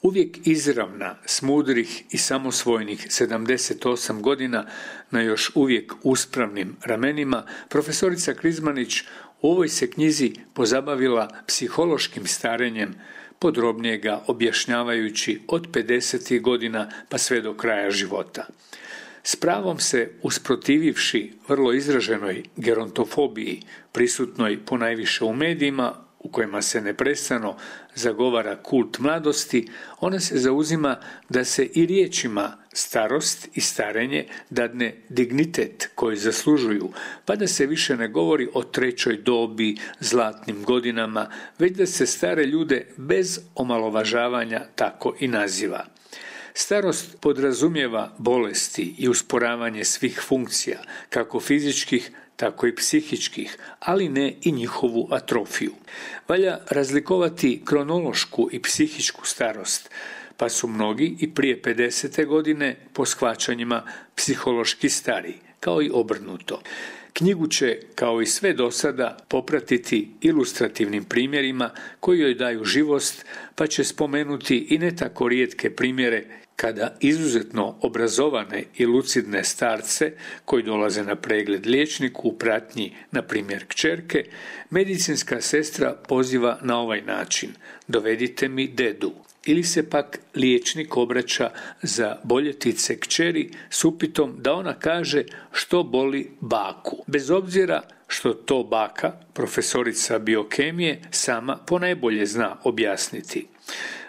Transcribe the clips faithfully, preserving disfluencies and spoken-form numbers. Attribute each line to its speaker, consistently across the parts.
Speaker 1: Uvijek izravna, s mudrih i samosvojnih sedamdeset osam godina, na još uvijek uspravnim ramenima, profesorica Krizmanić u ovoj se knjizi pozabavila psihološkim starenjem, podrobnije ga objašnjavajući od pedesetih godina pa sve do kraja života. S pravom se usprotivivši vrlo izraženoj gerontofobiji, prisutnoj ponajviše u medijima, u kojima se neprestano zagovara kult mladosti, ona se zauzima da se i riječima starost i starenje dadne dignitet koji zaslužuju, pa da se više ne govori o trećoj dobi, zlatnim godinama, već da se stare ljude bez omalovažavanja tako i naziva. Starost podrazumijeva bolesti i usporavanje svih funkcija, kako fizičkih, tako i psihičkih, ali ne i njihovu atrofiju. Valja razlikovati kronološku i psihičku starost, pa su mnogi i prije pedesete godine po shvaćanjima psihološki stariji, kao i obrnuto. Knjigu će, kao i sve do sada, popratiti ilustrativnim primjerima koji joj daju živost, pa će spomenuti i ne tako rijetke primjere kada izuzetno obrazovane i lucidne starce koji dolaze na pregled liječniku u pratnji, na primjer kćerke, medicinska sestra poziva na ovaj način: dovedite mi dedu. Ili se pak liječnik obraća za boljetice kćeri s upitom da ona kaže što boli baku, bez obzira što to baka, profesorica biokemije, sama ponajbolje zna objasniti.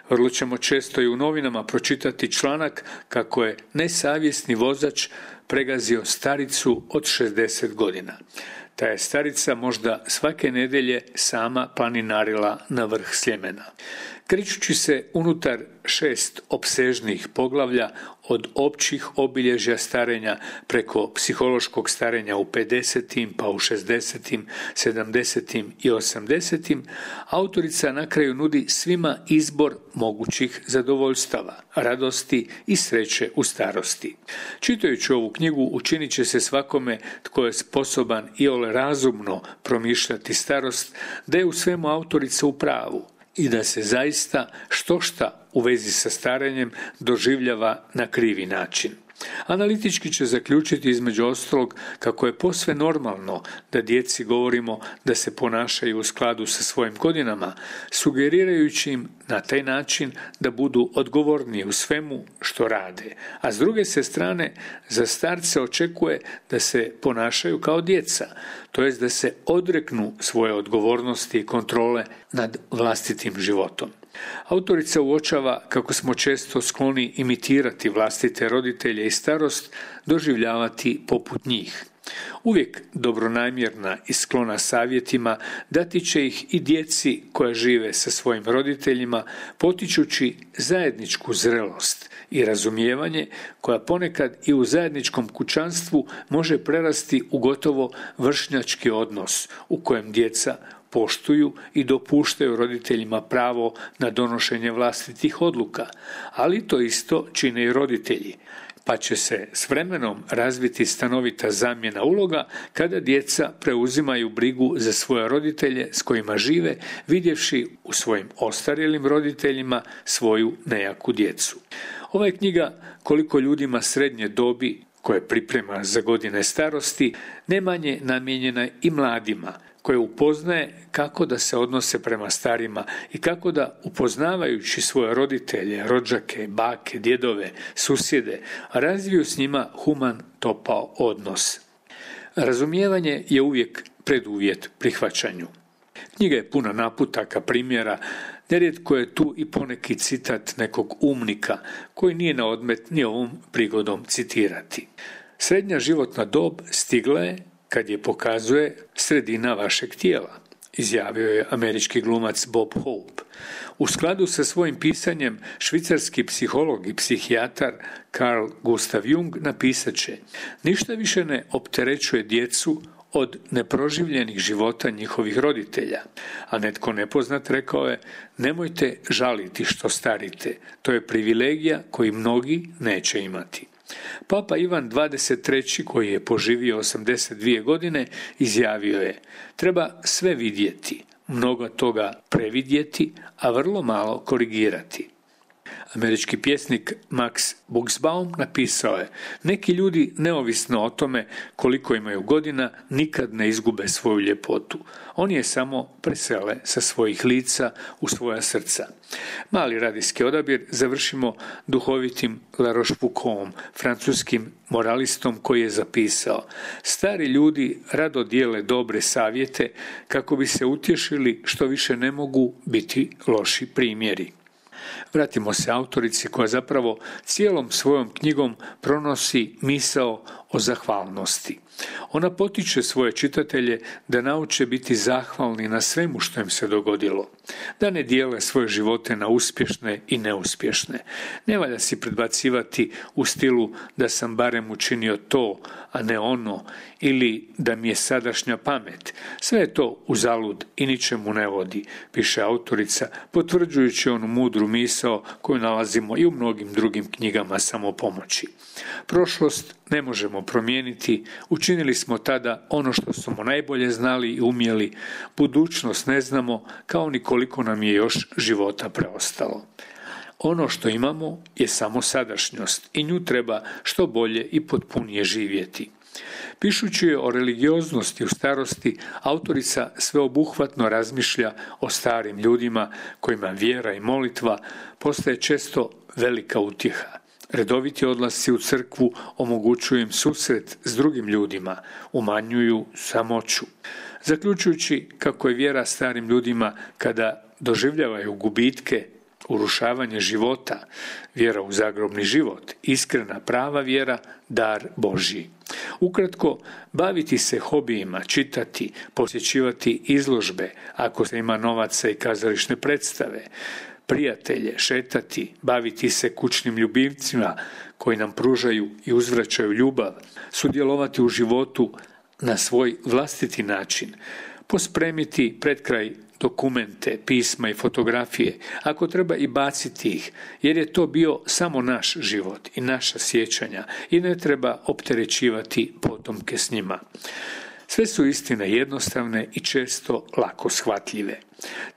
Speaker 1: Vrlo ćemo često i u novinama pročitati članak kako je nesavjesni vozač pregazio staricu od šezdeset godina. Ta je starica možda svake nedjelje sama planinarila na vrh Sljemena. Krećući se unutar šest opsežnih poglavlja od općih obilježja starenja preko psihološkog starenja u pedesetim, pa u šezdesetim, sedamdesetim i osamdesetim, autorica na kraju nudi svima izbor mogućih zadovoljstava, radosti i sreće u starosti. Čitajući ovu knjigu učinit će se svakome tko je sposoban iole razumno promišljati starost da je u svemu autorica u pravu i da se zaista štošta u vezi sa starenjem doživljava na krivi način. Analitički će zaključiti između ostalog kako je posve normalno da djeci govorimo da se ponašaju u skladu sa svojim godinama, sugerirajući im na taj način da budu odgovorniji u svemu što rade, a s druge se strane za starce očekuje da se ponašaju kao djeca, to jest da se odreknu svoje odgovornosti i kontrole nad vlastitim životom. Autorica uočava kako smo često skloni imitirati vlastite roditelje i starost, doživljavati poput njih. Uvijek dobronamjerna i sklona savjetima dati će ih i djeci koja žive sa svojim roditeljima, potičući zajedničku zrelost i razumijevanje koja ponekad i u zajedničkom kućanstvu može prerasti u gotovo vršnjački odnos u kojem djeca poštuju i dopuštaju roditeljima pravo na donošenje vlastitih odluka, ali to isto čine i roditelji, pa će se s vremenom razviti stanovita zamjena uloga kada djeca preuzimaju brigu za svoje roditelje s kojima žive, vidjevši u svojim ostarjelim roditeljima svoju nejaku djecu. Ova je knjiga, koliko ljudima srednje dobi koje priprema za godine starosti, ne manje namijenjena i mladima, koje upoznaje kako da se odnose prema starima i kako da, upoznavajući svoje roditelje, rođake, bake, djedove, susjede, razviju s njima human, topao odnos. Razumijevanje je uvijek preduvjet prihvaćanju. Knjiga je puna naputaka, primjera, nerijetko je tu i poneki citat nekog umnika koji nije na odmet ni ovom prigodom citirati. Srednja životna dob stigla je kad je pokazuje sredina vašeg tijela, izjavio je američki glumac Bob Hope. U skladu sa svojim pisanjem, švicarski psiholog i psihijatar Carl Gustav Jung napisat će: ništa više ne opterećuje djecu od neproživljenih života njihovih roditelja, a netko nepoznat rekao je: nemojte žaliti što starite, to je privilegija koji mnogi neće imati. Papa Ivan dvadeset treći, koji je poživio osamdeset dvije godine, izjavio je: treba sve vidjeti, mnogo toga previdjeti, a vrlo malo korigirati. Američki pjesnik Max Buxbaum napisao je: neki ljudi, neovisno o tome koliko imaju godina, nikad ne izgube svoju ljepotu. Oni je samo presele sa svojih lica u svoja srca. Mali radijski odabir završimo duhovitim La Rochefoucauldom, francuskim moralistom, koji je zapisao: stari ljudi rado dijele dobre savjete kako bi se utješili što više ne mogu biti loši primjeri. Vratimo se autorici koja zapravo cijelom svojom knjigom pronosi misao o zahvalnosti. Ona potiče svoje čitatelje da nauče biti zahvalni na svemu što im se dogodilo, da ne dijele svoje živote na uspješne i neuspješne. Ne valja si predbacivati u stilu da sam barem učinio to, a ne ono, ili da mi je sadašnja pamet. Sve je to uzalud i ničemu ne vodi, piše autorica, potvrđujući onu mudru misao koju nalazimo i u mnogim drugim knjigama samopomoći. Prošlost ne možemo promijeniti, učinili smo tada ono što smo najbolje znali i umjeli, budućnost ne znamo, kao ni koliko nam je još života preostalo. Ono što imamo je samo sadašnjost i nju treba što bolje i potpunije živjeti. Pišući o religioznosti u starosti, autorica sveobuhvatno razmišlja o starim ljudima kojima vjera i molitva postaje često velika utjeha. Redoviti odlasci u crkvu omogućuju im susret s drugim ljudima, umanjuju samoću. Zaključujući kako je vjera starim ljudima kada doživljavaju gubitke, urušavanje života, vjera u zagrobni život, iskrena prava vjera, dar Božji. Ukratko, baviti se hobijima, čitati, posjećivati izložbe, ako se ima novaca i kazališne predstave, prijatelje, šetati, baviti se kućnim ljubimcima koji nam pružaju i uzvraćaju ljubav, sudjelovati u životu na svoj vlastiti način, pospremiti pred kraj dokumente, pisma i fotografije, ako treba i baciti ih, jer je to bio samo naš život i naša sjećanja i ne treba opterećivati potomke s njima. Sve su istine jednostavne i često lako shvatljive.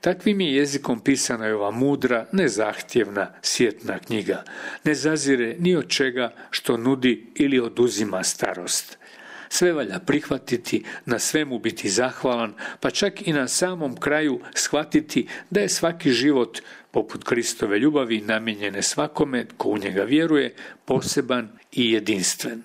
Speaker 1: Takvim je jezikom pisana je ova mudra, nezahtjevna, sjetna knjiga. Ne zazire ni od čega što nudi ili oduzima starost. Sve valja prihvatiti, na svemu biti zahvalan, pa čak i na samom kraju shvatiti da je svaki život, poput Kristove ljubavi namijenjene svakome tko u njega vjeruje, poseban i jedinstven.